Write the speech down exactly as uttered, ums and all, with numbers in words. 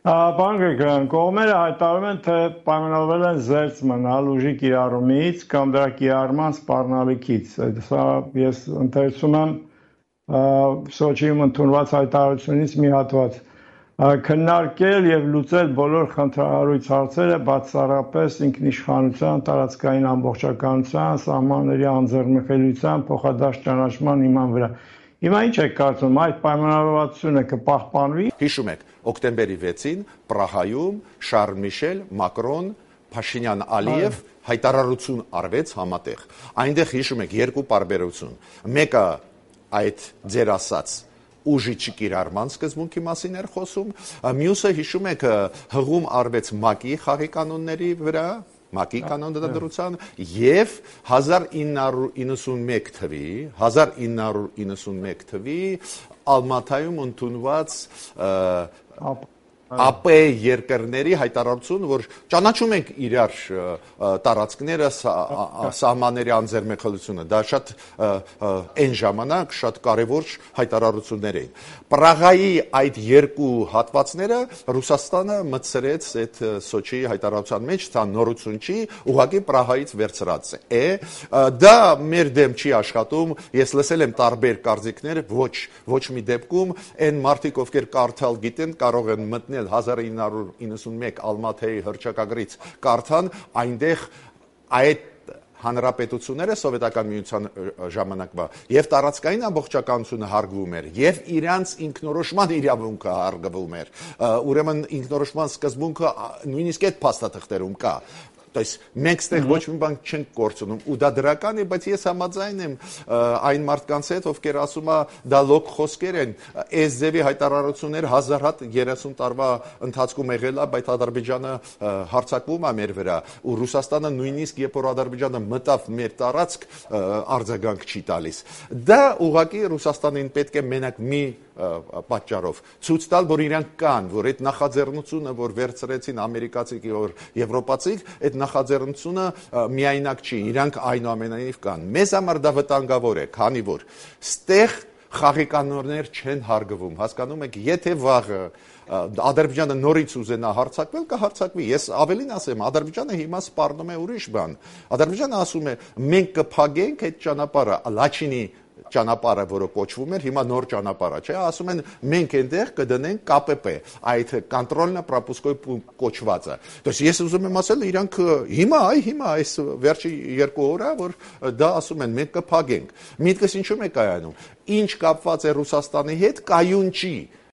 Պարոն Գրիգորյան, կողմերը հայտարարում են, թե պայմանավորվել են զերծ մնալ ուժի կիրառումից կամ դրա կիրառման սպառնալիքից։ Սա ես ընթերցում եմ Սոչիում ընդունված հայտարարությունից մի հատված։ Քննարկել եւ լուծել բոլոր խնդրահարույց հարցերը բացառապես ինքնիշխանության, տարածքային ամբողջականության, սահմանների անձեռնմխելիության, փոխադարձ ճանաչման հիման վրա։ Հիմա ինչ եք կարծում, այդ պայմանավորվածությունը կպահպանվի։ Հիշում եք, օկտեմբերի վեցին Պրահայում Շարլ Միշել, Մակրոն, Փաշինյան, Ալիև հայտարարություն արվեց համատեղ։ Այնտեղ հիշում եք երկու տարբերություն։ Մեկը այդ ձեր ասած ուժի չկիրառման սկզբունքի մասին էր խոսում, մյուսը հիշում եք հղում արվեց ՄԱԿ-ի խաղի կանոնների վրա, ՄԱԿ-ի կանոնադրության եւ հազար ինը հարյուր իննսունմեկ թվի հազար ինը հարյուր իննսունմեկ թվի Ալմաթայում ընդունված ԱՊ երկրների հայտարարություն, որ ճանաչում ենք իրար տարածքները, սահմանների անձեռնմխելիությունը, դա շատ այն ժամանակ շատ կարևոր հայտարարություններ էին։ Պրաղայի այդ երկու հատվածները Ռուսաստանը մտցրեց այդ Սոչիի հայտարարության մեջ, դա նորություն չի, ուղղակի Պրահայից վերցրած է։ Դա մեր դեմ չի աշխատում, ես լսել եմ տարբեր կարծիքներ, ոչ, ոչ մի դեպքում այն մարդիկ, ովքեր կարդալ գիտեն, կարող են մտնել հազար ինը հարյուր իննսունմեկ Ալմաթայի հռչակագրից կարդան, այնտեղ այդ հանրապետությունները սովետական միության ժամանակվա եւ տարածքային ամբողջականությունը հարգվում էր եւ իրանց ինքնորոշման իրավունքը հարգվում էր, ուրեմն ինքնորոշման սկզբունքը նույնիսկ այդ փաստաթղթերում կա։ То есть մենք ստեղ ոչ մի բան չենք կորցնում ու դա դրական է, բայց ես համաձայն եմ այն մարդկանց հետ, ովքեր ասում է դա լոկ խոսքեր են, այս ձևի հայտարարություններ հազար հատ երեսուն տարվա ընթացքում եղել է, բայց Ադրբեջանը հարձակվում է մեր վրա ու Ռուսաստանը նույնիսկ երբ որ Ադրբեջանը մտավ մեր տարածք արձագանք չի տալիս։ Դա ուղղակի Ռուսաստանին պետք է մենակ մի պատճառով ցույց տալ, որ իրանք կան, որ այդ նախաձեռնությունը, որ վերցրեցին ամերիկացիք, որ եվրոպացիք, այդ նախաձեռնությունը միայնակ չի, իրանք այնուամենայնիվ կան։ Մեզ համար դա վտանգավոր է, քանի որ ստեղ խաղի կանոններ չեն հարգվում, հասկանում եք, եթե վաղը Ադրբեջանը նորից ուզենա հարձակվել, կհարձակվի։ Ես ավելին ասեմ, Ադրբեջանը հիմա սպառնում է ուրիշ բան։ Ադրբեջանը ասում է, մենք կփակենք այդ ճանապարհը, Լաչինի ճանապարհը, որը կոչվում էր, հիմա նոր ճանապարհ է, չէ՞, ասում են մենք այնտեղ կդնենք Կ Պ Պ, այդ կոնտրոլնա-պրոպուսկոյ կոչվածը։ То есть ես ուզում եմ ասել, իրանք հիմա, այ հիմա այս վերջի երկու օր է, որ դա ասում են մենք կփակենք։ Միտքս ինչու՞մ է կայանում։ Ինչ կապված է Ռուսաստանի հետ, կայուն չի։